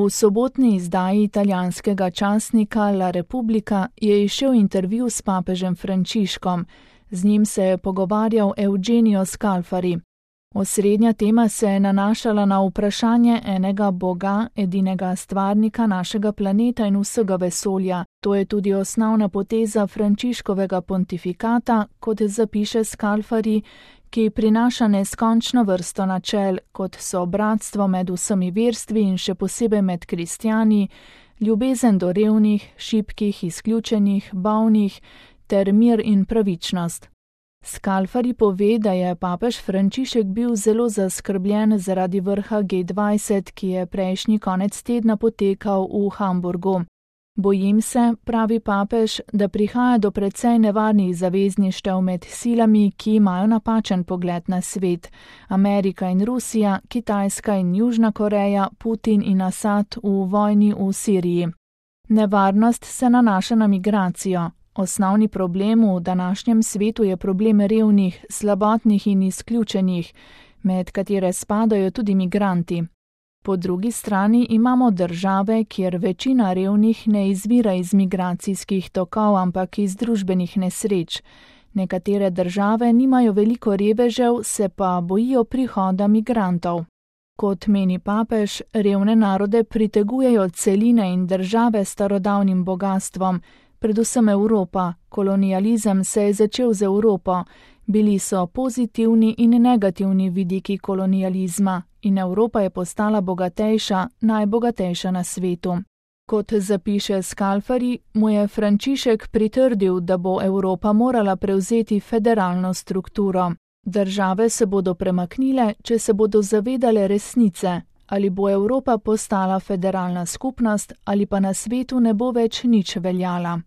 V sobotni izdaji italijanskega časnika La Repubblica je izšel intervju s papežem Frančiškom. Z njim se je pogovarjal Eugenio Scalfari. Osrednja tema se je nanašala na vprašanje enega Boga, edinega stvarnika našega planeta in vsega vesolja. To je tudi osnovna poteza Frančiškovega pontifikata, kot zapiše Scalfari, ki prinaša neskončno vrsto načel, kot so bratstvo med vsemi verstvi in še posebej med kristjani, ljubezen do revnih, šibkih, izključenih, bolnih ter mir in pravičnost. Scalfari pove, da je papež Frančišek bil zelo zaskrbljen zaradi vrha G20, ki je prejšnji konec tedna potekal v Hamburgu. Bojim se, pravi papež, da prihaja do precej nevarnih zavezništev med silami, ki imajo napačen pogled na svet. Amerika in Rusija, Kitajska in Južna Koreja, Putin in Asad v vojni v Siriji. Nevarnost se nanaša na migracijo. Osnovni problem v današnjem svetu je problem revnih, slabotnih in izključenih, med katere spadajo tudi migranti. Po drugi strani imamo države, kjer večina revnih ne izvira iz migracijskih tokov, ampak iz družbenih nesreč. Nekatere države nimajo veliko revežev, se pa bojijo prihoda migrantov. Kot meni papež, revne narode pritegujejo celine in države s starodavnim bogatstvom, predvsem Evropa. Kolonializem se je začel z Evropo. Bili so pozitivni in negativni vidiki kolonializma in Evropa je postala bogatejša, najbogatejša na svetu. Kot zapiše Scalfari, mu je Frančišek pritrdil, da bo Evropa morala prevzeti federalno strukturo. Države se bodo premaknile, če se bodo zavedale resnice, ali bo Evropa postala federalna skupnost ali pa na svetu ne bo več nič veljala.